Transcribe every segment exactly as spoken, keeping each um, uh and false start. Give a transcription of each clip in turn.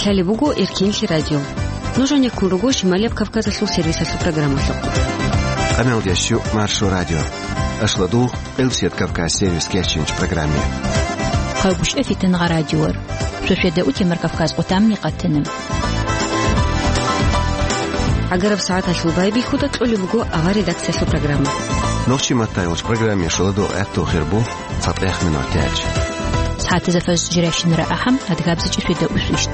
Гьале буго Эркинлъи радио. Нуж гьанеккун руго Шималияб Кавказалъул сервисалъул программалъухъ. Къамел ящу Маршо радио. Ашладу Къилсият Кавказ сервис кечинч программе. Хъавгуш эфитан гъа радиор. Шошеда утемар Кавказ къутамни къатана. Агараб сагӀаталъул байбихьуда кьолеб буго авар редакциялъул программа. Нохчи маттайолч программе шуладу гӀатту хирбу. ЦатӀех минутач. СагӀатазда фаз жиращинара ахӀам, адгабзичӀи фида усвищт.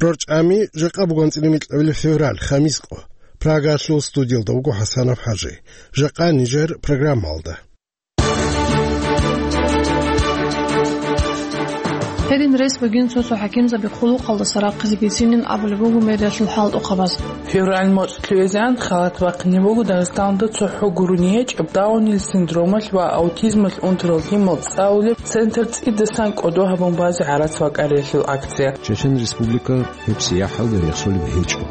РорчӀами жакъа бугонцӀили микьабили февраль, хамис къо. Прагалъул студиялда вуго ХӀасанов ХӀажи. Жакъа нижер программалда. Гьедин рес бугин цо-цо хӀакимзаби хъулухъалдаса рахъизе бицинин абулеб буго мэриялъул хӀалтӀухъабаз. Февраль моцӀ лъугӀизегӀан халат бахъине буго Дагъистаналда цохӀо гурони гьечӀеб Даунил синдромалъ ва аутизмалъ унтарал лъимал цӀалулеб центр цӀидасан кӀодо гьабун базе гӀарац вакӀариялъул акция. Чечен Республика гьеб сияхӀалда рехсолеб гьечӀо.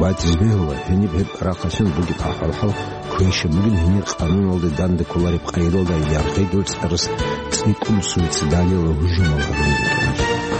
Батиз бегьула, гьениб гьеб рахъалъан бугеб ахӀвал-хӀал квеша бугин гьенир къануналде данде кколареб къайдалда яргъидул цӀарас цӀикӀкӀун суицидалияла гьужумал гьарун букӀиналъ.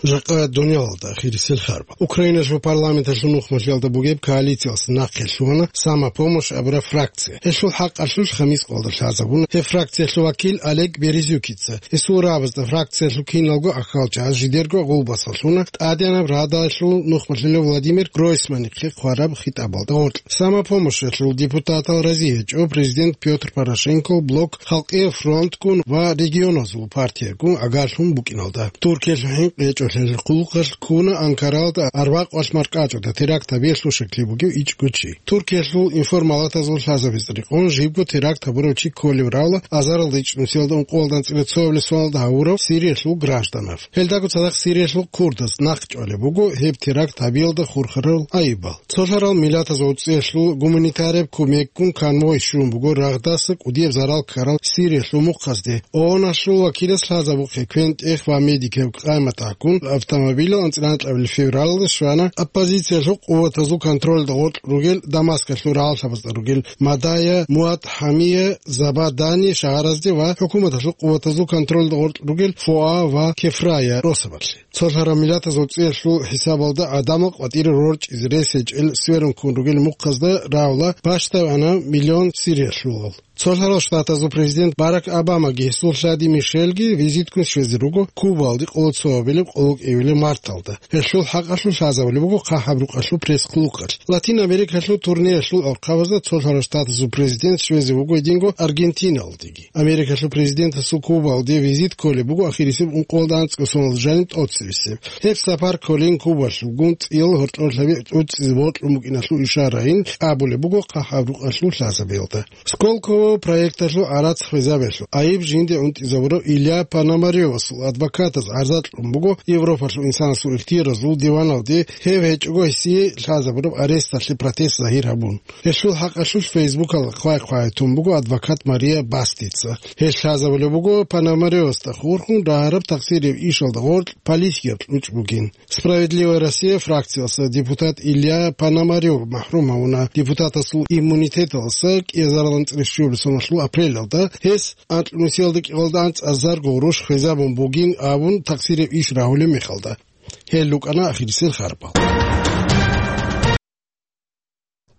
Жакъа дуниялалда ахирисел харба. Украиналъул парламенталъул нухмалъиялда бугеб коалициялъ нахъе лъугьана «Самопомощь» абураб фракция. Гьелъул хӀакъалъулъ хамис къоялда лъазабуна гьеб фракциялъул вакил Олег Березюкица. Гьесул рагӀабазда фракциялъул киналго ахьалчагӀаз жидерго гъулбасалъуна ТӀадегӀанаб Радалъул нухмалъулев Владимир Гройсманихъе хъвараб хитӀабалда гъоркь. «Самопомощьалъул» депутатал рази гьечӀо президент Пётр Порошенко, Блок, Халкъияв фронтгун ва регионазул партиягун агарлъун букӀиналда. Туркиялъул хӀинкъи гьечӀолъиялъул хъулухъалъ ккуна Анкаралда арбакъвалъ маркӀачӀуда теракт гьабиялъул щаклъи бугев ичӀго чи. Туркиялъул информалатазул лъазабиз рекъон жибго теракт гьабурав чи кколев равла азаралда ичӀнусиялда ункъоялда анцӀила цоабилеб соналда гьавурав Сириялъул гражданав. Гьелдаго цадахъ Сириялъул курдаз нахъ чӀвалеб буго гьеб теракт гьабиялда хурхарал гӀайибал. Цолъарал миллатазул цӀеялъул гуманитараб кумекгун конвой щун буго рагъдаса кӀудияб зарал ккарал Сириялъул мухъазде. ООН-алъул вакилас лъазабухъе квен-тӀех ва медикаб къаматахъун автомобилал анцӀила анкьабилеб февралалда щвана оппозициялъул къуватазул контролда гъоркь ругел Дамаскалъул рагӀаллъабазда ругел Мадая, Муат Хьамия, Забадани шагьаразде ва хӀукуматалъул къуватазул контролда гъоркь ругел Фоа ва Кефрая росабалъе. Цолъараб миллатазул цӀеялъул хӀисабалда гӀадамал къватӀире рорчӀизе рес гьечӀел сверун ккун ругел мухъазда равла бащдабана миллион сириялъулал. Цолъарал Штатазул президент Барак Обамаги гьесул лъади Мишелги визиткун щвезе руго Кубалде къоло цоабилеб къоло кӀиабилеб марталда. Гьелъул хӀакъалъулъ лъазабулеб буго хъахӀаб рукъалъул пресс-хъулухъалъ. Латин Америкалъул турнеялъул алхъабазда Цолъарал Штатазул президент щвезе вуго гьединго Аргентиналдеги. Америкалъул президентасул Кубалде визит кколеб буго ахирисеб ункъоялда анцӀго соналда жаниб тӀоцебесеб. Гьеб сапар кколин Кубалъулгун цӀиял гьоркьорлъаби тӀуцӀизе бокьун букӀиналъул ишарайин абулеб буго хъахӀаб рукъалъул лъазабиялда. Сколково проекталъул гӀарац хвезабиялъул гӀайиб жинде унтӀизабурав Илья Пономарёвасул адвокатаз гӀарза кьун буго Европалъул инсанасул ихтияразул диваналде, гьев гьечӀого гьесие лъазабураб аресталъе протест загьир гьабун. Гьелъул хӀакъалъулъ Фейсбукалда хъвай-хъвай тун буго адвокат Мария Бастица. Гьелъ лъазабулеб буго Пономарёвасда хурхун рагьараб тахсираб ишалда гъоркь политикаб кьучӀ бугин. «Справедливая Россия» фракциялъа депутат Илья Пономарёв махӀрум гьавуна депутатасул иммунитеталдаса кӀиазарилан цӀересщуабилеб соналъул апрелалда, гьес анкьнусиялда кӀикъоялда анцӀазарго гъурущ хвезабун бугин абун тахсираб иш рагьулеб мехалда. Гьел рукӀана ахирисел харбал.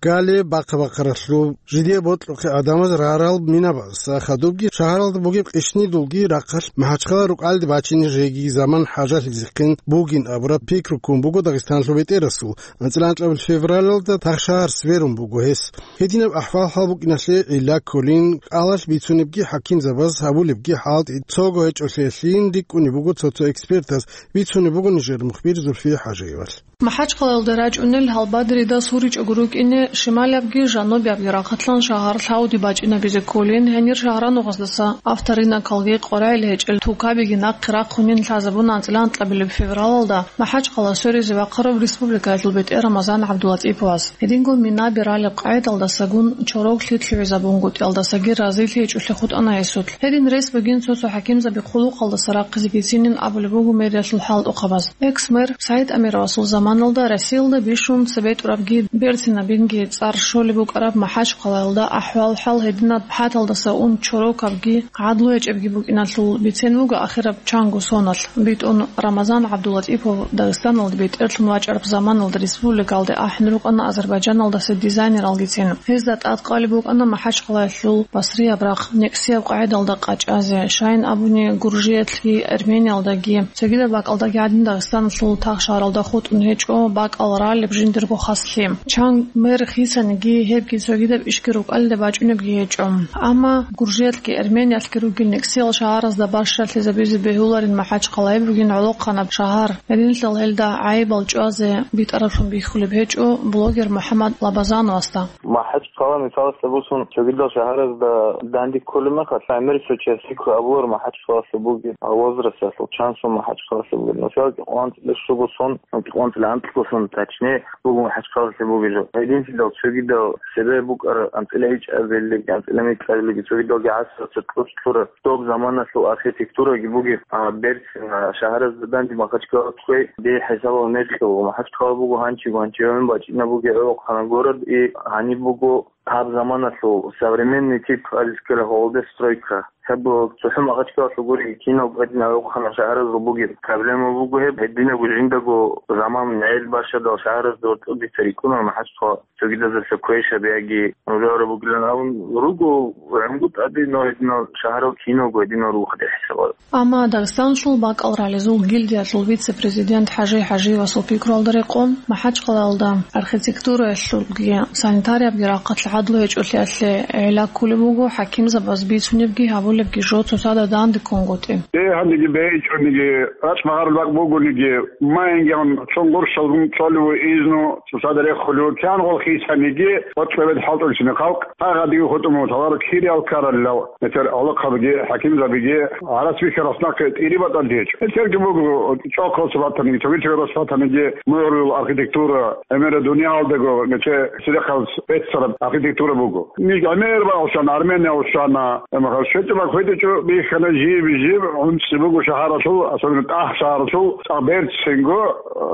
Гали бахъа-бахъаралъуб жидее бокьухъе гӀадамаз рагьарал минабаз хадубги шагьаралда бугеб къищнидулги рахъалъ МахӀачхъала рукӀалде бачине жеги заман хӀажалъизехъин бугин абураб пикру ккун буго Дагъистаналъул бетӀерасул. АнцӀила анкьабилеб февралалда тахшагьар сверун буго гьес. Гьединаб ахӀвал-хӀал букӀиналъе гӀилла кколин, кӀалалъ бицунебги хӀакимзабаз гьабулебги хӀалтӀи цого гьечӀолъиялъин рикӀкӀунеб буго цо-цо экспертаз, бицунеб буго нижер мухбир Зульфия ХӀажиевалъ. МахӀачхъалаялда рачӀунел гьалбадрида суричӀого рукӀине шималабги жанубиябги рахъалъан шагьар лъавди бачӀинабизе кколин, гьенир шагьранугъаздаса авторынокалги къваригӀел гьечӀел тукабиги нахъе рахъунин лъазабуна анцӀила анкьабилеб февралалда МахӀачхъала сверизе вахъарав республикаялъул бетӀер Рамазан ГӀабдулатӀиповас. Гьединго минаби ралеб къайдалдасагун чороглъи лъугӀизабунгутӀиялдасаги разилъи гьечӀолъи хутӀана гьесулъ. Гьедин рес бугин цо-цо хӀакимзаби хъулухъалдаса рахъизе бицинин абулеб буго мэриялъул хӀалтӀухъабаз. Экс-мэр СагӀид Амировасул заман Заманалда Россиялда бищун цебетӀурабги берцинабинги цӀар щолеб букӀараб МахӀачхъалаялда ахӀвал-хӀал гьединаб хӀаталдаса ун чорокабги гӀадлу гьечӀебги букӀиналъул бицен буго ахираб чанго соналъ. БитӀун Рамазан ГӀабдулатӀипов Дагъистаналда бетӀерлъун вачӀараб заманалда республикалде ахӀун рукӀана Азербайджаналдаса дизайнералгицин. Гьезда тӀадкъалеб букӀана МахӀачхъалаялъул басрияб рахъ, некӀсияб къагӀидалда къачӀазе, щайин абуни, Гуржиялъги Армениялдаги, цогидаб бакӀалдаги гӀадин Дагъистаналъул тахшаралда хутӀун гьечӀо бакӀал ралеб жиндирго хаслъи. Чан мер хисаниги, гьебги цогидаб ишги рукӀалде бачӀунебги гьечӀо. Амма Гуржиялъги Армениялъги ругел некӀсиял шагьаразда бащалъизабизе бегьуларин МахӀачхъалаяб бугин гӀолохъанаб шагьар. Гьединлъидал гьелда гӀайибал чӀвазе битӀараблъун бихьулеб гьечӀо блогер МухӀаммад Лабазановасда. МахӀачхъала, мисалалъе босун, цогидал шагьаразда данде кколеб мехалъ, гӀемер цо чияс гьикъго абуларо МахӀачхъалалъул бугеб возрасталъул, чан сон МахӀачхъалалъул бугеб. Мисал, кӀикъоялда анцӀила щуго сон, кӀикъоялда анцӀго сон, точнее, буго МахӀачхъалалъул бугеб жо. Гьединлъидал цогидал цебе букӀараб анцӀила гьечӀебилеги, анцӀила микьабилеги, цогидалги гӀасралъе тӀоцӀлъураб доб заманалъул архитектураги бугеб, а, берцин, а, шагьаразда данде Махачкала кквей, дие хӀисабал мекъи буго. Махачкала буго гьанчи, гьанчи гьавин бачӀина бугеб гӀолохъанаб город, и гьаниб буго гьаб заманалъул современный тип, алискера гьолде стройка. Гьеб цохӀо Махачкалалъул гури, киналго гьедин гӀолохъанаб шагьаразул бугеб проблема буго гьеб, гьединабго жиндаго заман гӀел бащадал шагьаразда гьоркьоб дица рикӀкӀуна Махачкала. Цогидазулъа квешаб яги нужеро бугилан абун руго, гӀемгу тӀаде, но гьединал шагьарал киналго гьединал рухъде хӀисабал. Амма Дагъистаналъул бакӀал ралезул гильдиялъул вице-президент ХӀажи ХӀажиевасул пикруялда рекъон, Махачкъалаялда архитектураялъулги санитариябги рахъалъ гӀадлу гьечӀолъиялъе гӀилла кколеб буго хӀакимзабаз бицунебги гьабулебги жо цоцазда данде ккунгутӀи. Э, гьанниги бегьичӀониги, рачӀ-магъарул бакӀ бугониги, Майингиян цо гъурщалгун цолев изну цоцазда рехулев, кянгъул хисаниги, гъоркье бед хӀалтӀулъине халкъ, гьагъадиги хутӀун вуго, лъаларо кириялъ ккаралъул, метер гӀолохъабиги, хӀакимзабиги, гьарас бихьарас нахъе тӀири батӀалъи гьечӀо. Гьелъерги буго, чӀахъалъуса батаниги, цогидал росу батаниги, мугӀрул архитектура, гӀемераб дуниялдаго, нече церехъабаз беццараб архитектура буго. Ниж гӀемер баалщан, Армения вуссана, эмаха щвечӀеб бакӀ хведечӀо бихьана жиб-жиб гӀунцӀи буго шагьаралъул, особенно тӀагь шагьаралъул, цӀакъ берцинго,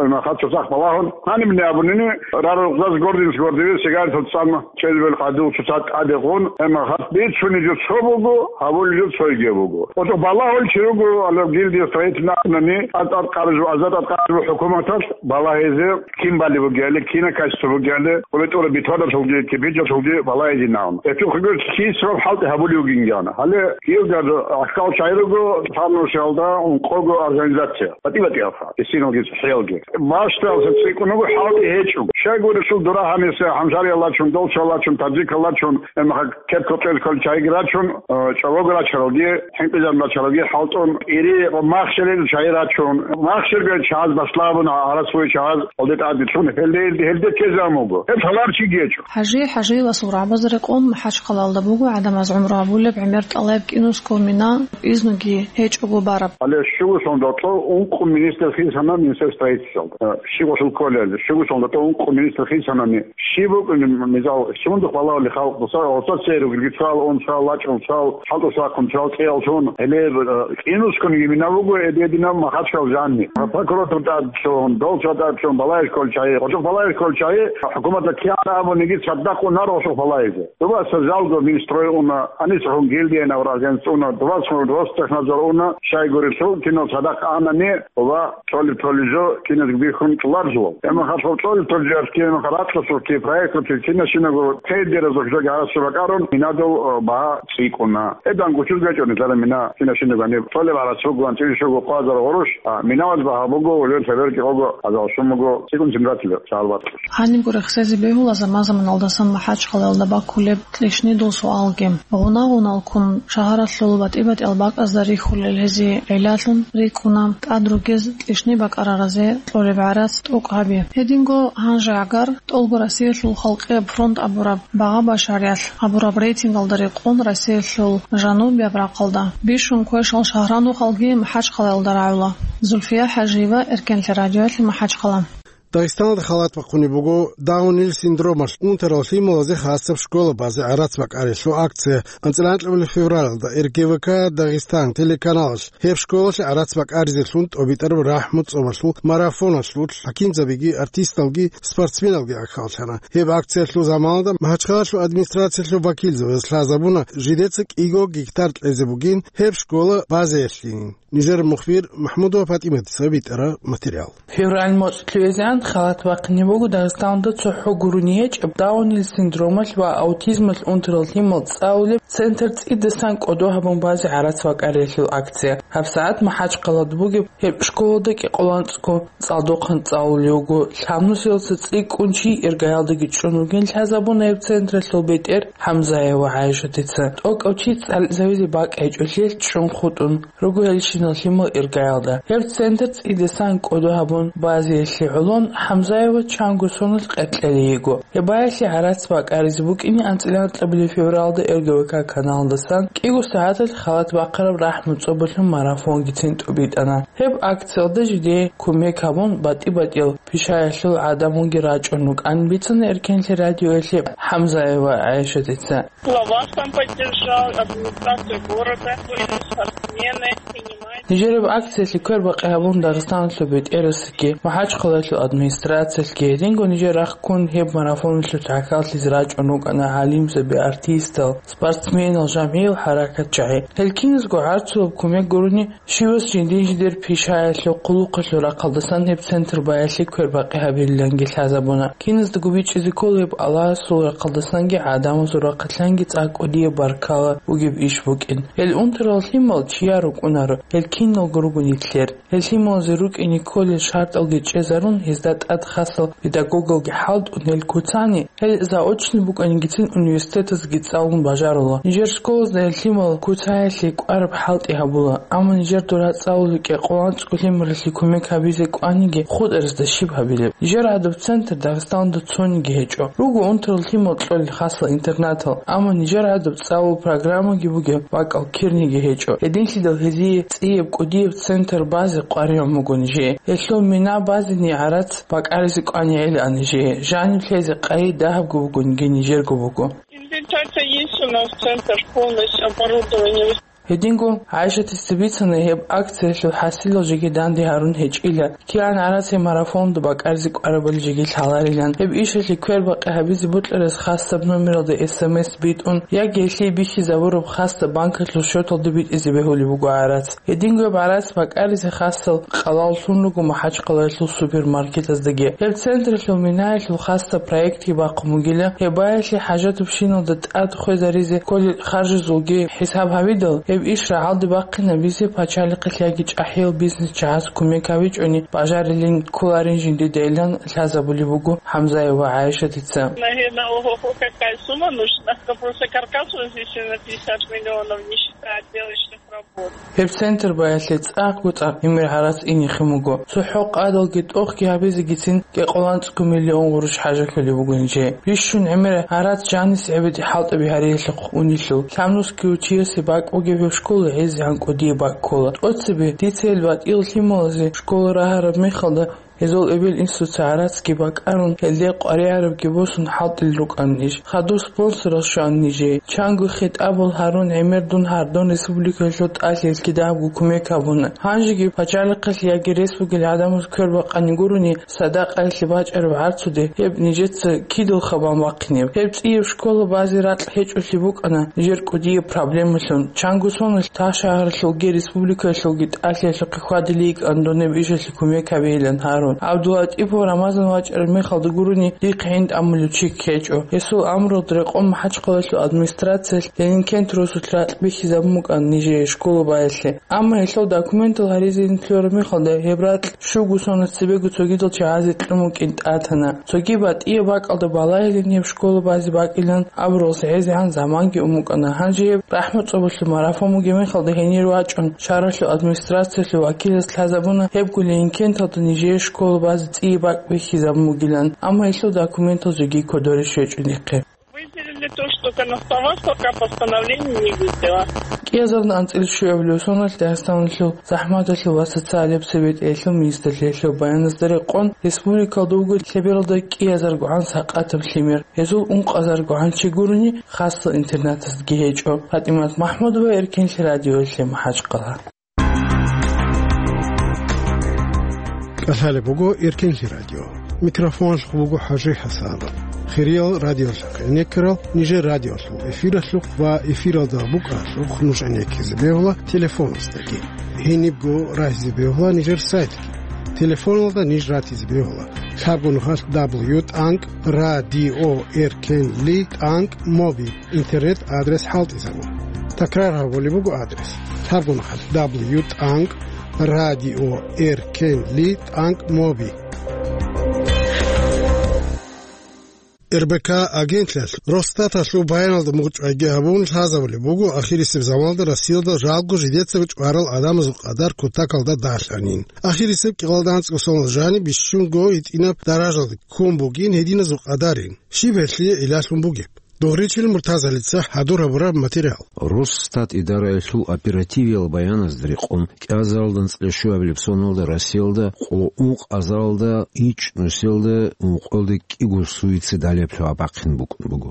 эмаха цоцахъ балагьун. Гьанибни абунани, рарукъзаз гординс гордизе сигаретал цӀан чӀезабил къадул цоцазда тӀаде гъун, эмаха бицунеб жо цо буго, гьабулеб жо цойги буго. Гьоркьоб балагьулев чи руго, гьалаб гильдия строительный абунани, тӀад-тӀад къаржу, аза тӀад къаржу хӀукуматалъ балагьизе, кин балеб бугебали, кинаб качество бугебали, хъулитӀура бетоналъулги, кирпичалъулги балагьизинавун. Гьечо хъугьур кисраб хӀалтӀи гьабулев вугин гьанна. Гьале Киевда ахкал чагӀи руго, лъабнусиялда ункъого организация. БатӀи-батӀиялха, гьесиналги цӀехӀиялги. Бащдалъун цӀикӀкӀун вуго, хӀалтӀи гьечӀо. Щайгурелъул дура гьаниса хӀамжарияллачун, долчаллачун, таджикаллачун, эмаха кепкал-кьеркал чагӀиги рачун, э, чӀобого рачаралги, хӀинкъизаб рачаралги хӀалтӀун, ири махщел чагӀи рачун, махщел чагӀаз башлабун, гьарас вуй чагӀаз гьалде тӀаде лъун, гьелде, гьелде, гьелде тезабун буго. Гьеб лъаларчиги гьечӀо. ХӀажи ХӀажиевасул рагӀабазда рекъон МахӀачхъалаялда буго гӀадамаз гӀумру гьабулеб гӀемер тӀалаб кӀинусго мина изнуги гьечӀого бараб. Гьале щуго соналда ункъо министр хисана министр строительствоялда. Э, щиб гъолъул кколел, щуго соналда ункъо министр хисанани, щиб букӀунеб мисал, сундухъ балагьулел халкъ, дуса, гъоса цере ругелги, цал ун, цал лачӀун, цал хӀалтӀу сахъун, цал цӀиялъун, гьеле, э, кӀинусгониги мина буго, эдединаб Махачкъала жанни. Прокуратура тӀад лъун, долча тӀад лъун, балагьизе кколел чагӀи, гъочӀохъ балагьизе кколел чагӀи, хӀукуматалъ кигӀан абуниги цадахъ унар гъочӀохъ балагьизе. Дубаса жалго Минстрой уна, гьанисехун гильдия гьабурал агентство уна, дубасхун Ростехнадзор уна, щайгурелъул кинал цадахъ анани, ва цолеб-цолеб жо киназго бихьун кьоларзулал. Эмаха цолеб-цолеб жо кинаха ракьалъулъги, проекталъулъги, кинашинаго тендеразухъ жоги гьарасул бакӀарун, минадул, э, багьа цӀикӀкӀуна. Гьедан гучуз гьечӀо нилъер мина кинашинаго гьаниб цолеб гьарас буго, анцӀила щуго хъвазар гъурущ, а миналъ багьа буго, улел хаберги гъого, азал щун буго, цӀикӀкӀун цин ратила, шагьар батӀа. Гьанибго рехсезе бегьула заман-заманалдасан МахӀачхъалаялда баккулеб кьишнидул суалги. Гъунал-гъуналккун шагьаралъул батӀи-батӀиял бакӀазда рихьулел гьезие гӀиллалъун рикӀкӀуна тӀад ругез кьишни бакӀараразе кьолеб гӀарац тӀокӀ гьаби. Гьединго гьанже гӀагар тӀолго Россиялъул халкъияб фронт абураб багъа-башариялъ гьабураб рейтингалда рекъон Россиялъул жанубияб рахъалда бищун квешал шагьранухъалги МахӀачхъалаялда рагӀула. Зульфия ХӀажиева, Эркенлъи радиоялъе, МахӀачхъала. Дагъистаналда халат бахъунеб буго Даунил синдромалъ унтарал лъималазе хасаб школа базе гӀарац бакӀарилъул акция. АнцӀила анкьабилеб февралалда Р Г В К Дагъистан телеканалалъ гьеб школалъе гӀарац бакӀаризелъун тӀобитӀараб рахӀму цӀобалъул марафоналъул хӀакимзабиги, артисталги, спортсменалги гӀахьаллъана. Гьеб акциялъул заманалда МахӀачхъалалъул администрациялъул вакилзабаз лъазабуна жидеца кӀиго гектар кьезе бугин гьеб школа базеялъин. Нижер мухбир МахӀмудова ПатӀиматица битӀараб материал. Февраль моцӀлъугӀизегӀан халат бахъине буго Дагъистаналда цохӀо гурони гьечӀеб Даунил синдромалъ ва аутизмалъ унтарал лъимал цӀалулеб центр цӀидасан кӀодо гьабун базе гӀарац бакӀарилъул акция. ГьабсагӀат МахӀачхъалада бугеб гьеб школалда кӀикъоялда анцӀго цӀалдохъан цӀалулев вуго. Лъабнусиялдаса цӀикӀкӀун чи иргаялдаги чӀун вугин лъазабуна гьеб централъул бетӀер ХӀамзаева ГӀайшатица. ТӀокӀав чи цӀализавизе бакӀ гьечӀолъиялъ чӀун хутӀун руго гьелщинал лъимал иргаялда. Гьеб центр цӀидасан кӀодо гьабун базеялъе гӀолон ХӀамзаева чанго соналъ къеркьезе йиго. Гьеб баялъе гӀарац бакӀаризе букӀине анцӀила анкьабилеб февралда Р Г В К каналдасан кӀиго сагӀаталъ халат бахъараб рахӀму цӀобалъул марафонгицин тӀубитӀана. Гьеб акциялда жидее кумек гьабун, батӀи-батӀиял пишаялъул гӀадамалги рачӀун рукӀан бицана Эркенлъи радиоялъе ХӀамзаева ГӀайшатица. Глава сам поддержал, администрация города, были спортсмены, принимали. Нижереб акциялъе квербакъи гьабун Дагъистаналъул бетӀерасеги, МахӀачхъалаялъул администрациялъги, гьединго нижер рахъ ккун гьеб марафоналъулъ гӀахьаллъизе рачӀун рукӀана гӀалимзаби, артистал, спортсменал, жамгӀиял хӀаракатчагӀи. Гьел киназго гӀарцулаб кумек гурони, щивас жиндир-жиндир пишаялъул, хъулухъалъул рахъалдасан гьеб центр баялъе квербакъи гьабилиланги лъазабуна. Киназдаго бичӀчӀизе ккола гьеб Аллагьасул рахъалдасанги гӀадамазул рахъалъанги цӀакъ кӀудияб баркала бугеб иш букӀин. Гьел унтарал лъимал чияр рукӀунаро, гьел киналго руго нилъер. Гьел лъималазе рукӀине кколел шартӀалги чӀезарун, гьезда тӀад хасал педагогалги хӀалтӀун гьел куцани, гьел заочный букӀанигицин университетазги цӀалун бажарула. Нижер школазда гьел лъимал куцаялъе кӀвараб хӀалтӀи гьабула, амма нижер дура цӀалулел кӀикъоялда анцӀго лъималалъе кумек гьабизе кӀваниги хутӀарасда щиб гьабилеб? Нижер гӀадаб центр Дагъистаналда цониги гьечӀо. Руго унтарал лъимал кьолел хасал интернатал, амма нижер гӀадаб цӀалул программаги бугеб бакӀал кирниги гьечӀо. Гьединлъидал гьезие цӀияб кӀудияб центр базе къваригӀун буго нижее. Гьелъул мина базени гӀарац бакӀаризе кӀванигӀилан нижее. Жаниб лъезе къайи дагьабго бугониги нижерго буго. Инвентарь есть у нас, центр полностью оборудование. Гьединго ГӀайшатица бицана, гьеб акциялъул хӀасилал жеги данде гьарун гьечӀила, кигӀан гӀарац гьеб марафонда бакӀаризе кӀварабали жеги лъаларилан. Гьеб ишалъе квербакъи гьабизе бокьарас хасаб номералда эс эм эс битӀун, яги гьелъие бихьизабураб хасаб банкалъул счеталда битӀизе бегьулеб буго гӀарац. Гьединго гьеб гӀарац бакӀаризе хасал къалал лъун руго МахӀачхъалаялъул супермаркетаздаги. Гьеб централъул минаялъул хасаб проектги бахъун бугила, гьеб баялъе хӀажатабщиналда тӀад хвезаризе кколел харжазулги хӀисаб гьабидал, гьеб иш рагӀалде бахъинабизе пачалихъалъ яги чӀахӀиял бизнес чагӀаз кумек гьабичӀони бажарилин кколарин жиндидайилан лъазабулеб буго ХӀамзаева ГӀайшатица. Наверное, ого-го, какая сумма нужна. Просто каркас вот здесь на пятьдесят миллионов, не считая отделочных работ. Гьеб центр баялъе цӀакъго-цӀакъ гӀемер гӀарац инехъин буго. ЦохӀо къадалги тӀохги гьабизегицин кӀикъоялда анцӀго миллион гъурущ хӀажалъулеб буго нижее. Бищун гӀемер гӀарац жанисе гӀебеде хӀалтӀаби гьариялъухъ унелъул. Лъабнусги чиясе бакӀ бугеб гьеб школа гьезегӀан кӀудияб бакӀ ккола. ТӀоцебе дица гьел батӀиял лъималазе школа рагьараб мехалда, гьезул эбел-инсуца гӀарацги бакӀарун, гьелде къваригӀарабги босун хӀалтӀулел рукӀана ниж. Хадур спонсорал щвана нижее. Чанго хитӀабал гьарун гӀемер дун гьардун республикаялъул тӀалъиялъ кидабго кумек гьабуна. Гьанжеги пачалихъалъ яги рес бугел гӀадамаз квербакъани гурони, садакъаялъе бачӀараб гӀарцуде гьеб нижеца кидал хабан бахъинеб. Гьеб цӀияб школа базе ракь гьечӀолъи букӀана нижер кӀудияб проблемалъун. Чанго соналъ та шагьаралъулги республикаялъулги тӀалъиялъухъе хьвадилей йикӀан дун гьеб ишалъе кумек гьабейилан гьарун. ГӀабдулатӀипов Рамазан вачӀараб мехалда гурони дихъ гӀин тӀамулев чиг гьечӀо. Гьесул амруялда рекъон МахӀачхъалаялъул администрациялъ Ленинкент росулъ ракь бихьизабун букӀана нижее школа баялъе. Амма гьелъул документал гьаризе лъураб мехалда гьеб ракь щуго соназ цебего цогидал чагӀазе кьун букӀин тӀатана. Цоги батӀияб бакӀалда балагьилин гьеб школа базе бакӀилан абуралъ гӀезегӀан заманги ун букӀана. Гьанже гьеб рахӀму цӀобалъул марафон бугеб мехалда гьенир вачӀун шагьаралъул администрациялъул вакилас лъазабуна гьебго Ленинкенталда нижее школа базе цӀияб бакӀ бихьизабун бугилан, амма гьелъул документал жеги кодоре щвечӀо нихъе. Выделили то, что на словах пока постановление не выйдило. Кьиазарда анцӀила щуабилеб соналъ Дагъистаналъул захӀматалъул ва социалияб цебетӀеялъул министрлъиялъул баяназда рекъон, республикалда вуго лъебералда кӀиазаргогӀан сакъатаб лъимер, гьезул ункъазаргогӀан чи гурони, хасго интернатаздаги гьечӀо. ПатӀимат МахӀмудова, Эркенлъи радиоялъе, МахӀачкъала. КӀалъалеб буго Эркенлъи радио. Микрофоналъухъ буго ХӀажи ХӀасанов. Хириял радиолъухъ гӀенеккарал, нижер радиолъул эфиралъухъ ва эфиралда букӀаралъухъ нуж гӀенеккизе бегьула телефоназдаги. Гьенибго рагьизе бегьула нижер сайтги. Телефоналда ниж ратизе бегьула: лъабго нухалъ дабл ю тӀанкӀ радио эркенли тӀанкӀ моби. Интернет-адрес хӀалтӀизабун. Такрар гьабулеб буго адрес: лъабго нухалъ дабл ю тӀанкӀ радио эркенли тӀанкӀ моби. РБК агентлъиялъ Росстаталъул баяналда мугъчӀвайги гьабун лъазабулеб буго ахирисеб заманалда Россиялда жалго жидецаго чӀварал гӀадамазул къадар кутакалда дагьлъанин. Ахирисеб кӀикъоялда анцӀго соналда жаниб бищунго гьитӀинаб даражалда ккун бугин гьединазул къадарин. Щиб гьелъие гӀиллалъун бугеб? Дугъричил Муртазалица хӀадур гьабураб материал. Росстат идараялъул оперативиял баяназда рекъон, кӀиазаралда анцӀила щуабилеб соналда Россиялда къо ункъазаралда ичӀнусиялда ункъоялда кӀиго суицидалияб лъугӀа бахъин букӀун буго.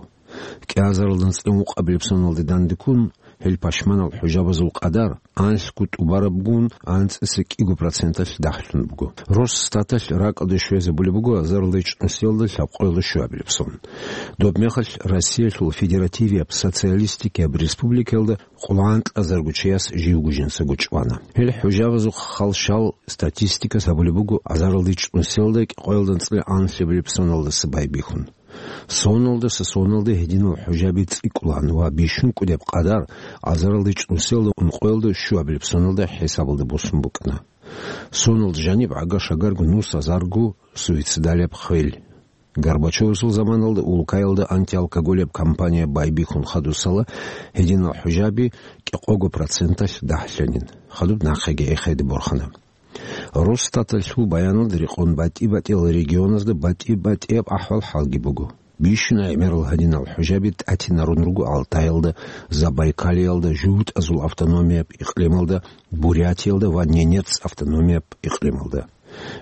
КӀиазаралда анцӀила ункъабилеб соналде дандеккун, гьел пашманал хӀужабазул къадар анлъго тӀубарабгун анцӀила кӀиго проценталъ дагьлъун буго. Росстаталъ ракӀалде щвезабулеб буго азаралда ичӀнусиялда лъабкъоялда щуабилеб сон. Доб мехалъ Россиялъул Федеративияб Социалистикияб Республикаялда къоло гӀантӀазарго чияс живго жинцаго чӀвана. Гьел хӀужабазухъ хал-шал статистикас гьабулеб буго азаралда ичӀнусиялда кӀикъоялда анцӀила анлъабилеб соналдаса байбихьун. Соналдаса соналде гьединал хӀужаби цӀикӀкӀулан ва бищун кӀудеб къадар азаралда ичӀнусиялда ункъоялда щуабилеб соналда хӀисабалда босун букӀана. Соналда жаниб гӀага-шагарго нус азарго суицидалияб хвел. Горбачевасул заманалда улкаялда антиалкоголияб кампания байбихьун хадусала гьединал хӀужаби кӀикъого проценталъ дагьлъанин. Хадуб нахъеги эхеде борхана. Росстаталъул баяналда рекъон батӀи-батӀиял регионазда батӀи-батӀияб ахӀвал-хӀалги буго. Бищун гӀемерал гьадинал хӀужаби тӀатинарун руго Алтаялда, Забайкалиялда, ЖугьутӀазул автономияб икълималда, Бурятиялда ва Ненец автономияб икълималда.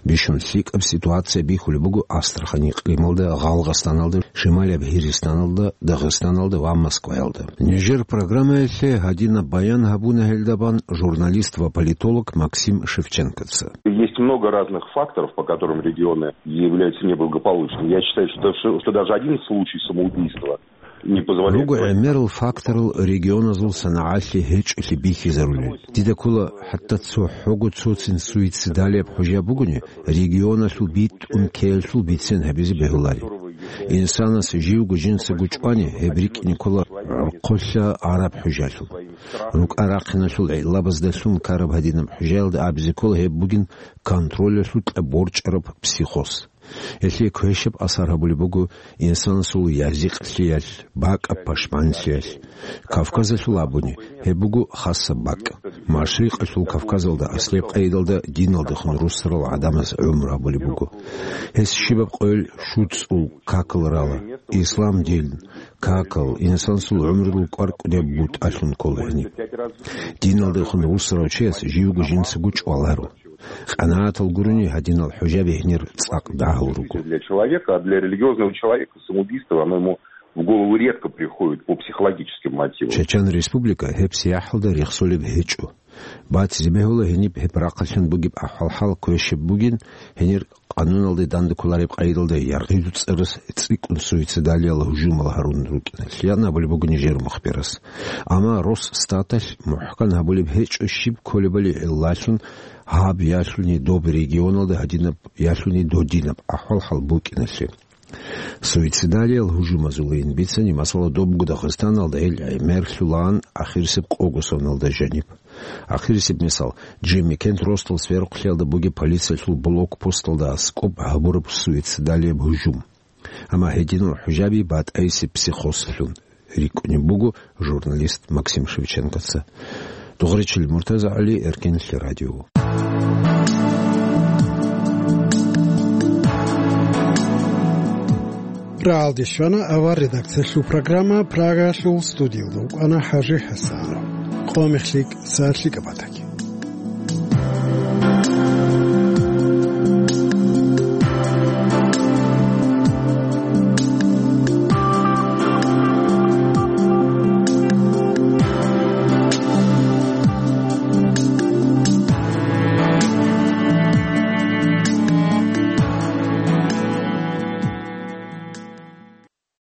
Бищун лъикӀаб ситуация бихьулеб буго Астрахань икълималда, Гъалгъастаналда, Шималияб Гьиристаналда, Дагъистаналда ва Москваялда. Нижер программаялъе гьадинаб баян гьабуна гьелда бан журналист ва политолог Максим Шевченкоца. Есть много разных факторов, по которым регионы являются неблагополучными. Я считаю, что, что, что даже один случай самоубийства не позволяет Руго говорить. ГӀемерал факторал регионазул санагӀалъе гьечӀолъи бихьизарулел. Дида ккола, хӀатта цо хӀого цоцин суицидалияб хӀужа бугони, регионалъул битӀун ккеялъул бицен гьабизе бегьулари. Инсанас живго жинца гучӀвани, гьеб рикӀкӀине ккола гӀорхъолъа араб хӀужалъул. РукӀа-рахъиналъул гӀиллабаздалъун ккараб гьадинаб хӀужаялда абизе ккола гьеб бугин контролялъукьа борчӀараб психоз. Гьелъие квешаб асар гьабулеб буго инсанасул язикълъиялъ, бакӀаб пашманлъиялъ. Кавказалъул абуни, гьеб буго хасаб бакӀ. Машрикъалъул Кавказалда аслияб къайдалда диналдехун руссарал гӀадамаз гӀумру гьабулеб буго. Гьес щибаб къойил щуцӀул какал рала, ислам дин, какал, инсанасул гӀумрудул кӀвар-кӀудияб бутӀалъун ккола гьениб. Диналдехун руссарав чияс живго жинцаго чӀваларо. КъанагӀатал гурони гьадинал хӀужаби гьенир цӀакъ дагьал руго. Для человека, а для религиозного человека самоубийство, оно ему в голову редко приходит по психологическим мотивам. Чечен Республика гьеб сияхӀалда рехсолеб гьечӀо. Батизе бегьула гьениб гьеб рахъалъан бугеб ахӀвал-хӀал квешаб бугин, гьенир къануналде данде кколареб къайдалда яргъизу цӀарас цӀикӀкӀун суицидалиял гьужумал гьарун рукӀиналъ, ян абулеб буго нижер мухбирас. Амма Росстаталъ мухӀкан гьабулеб гьечӀо щиб кколебали гӀиллалъун гьаб ялъуни доб регионалда гьадинаб ялъуни додинаб ахӀвал-хӀал букӀиналъе. Суицидалиял гьужумазулин бицани, масала, добго Дагъистаналда гьел гӀемерлъулаан ахирисеб къого соналда жаниб. Ахирисеб мисал, Джемикент росдал сверухълъиялда бугеб полициялъул блокпосталда аскӀоб гьабураб суицидалияб гьужум. Амма гьединал хӀужаби батӀайсеб психозлъун рикӀкӀунеб буго журналист Максим Шевченкоца. Дугъричил Муртазагьали, Эркенлъи радио. Рагьалде щвана авар редакциялъул программа, Прагалъул студиялда вукӀана ХӀажи ХӀасанов. Къо мехлъи, са лъикӀаб батӀа.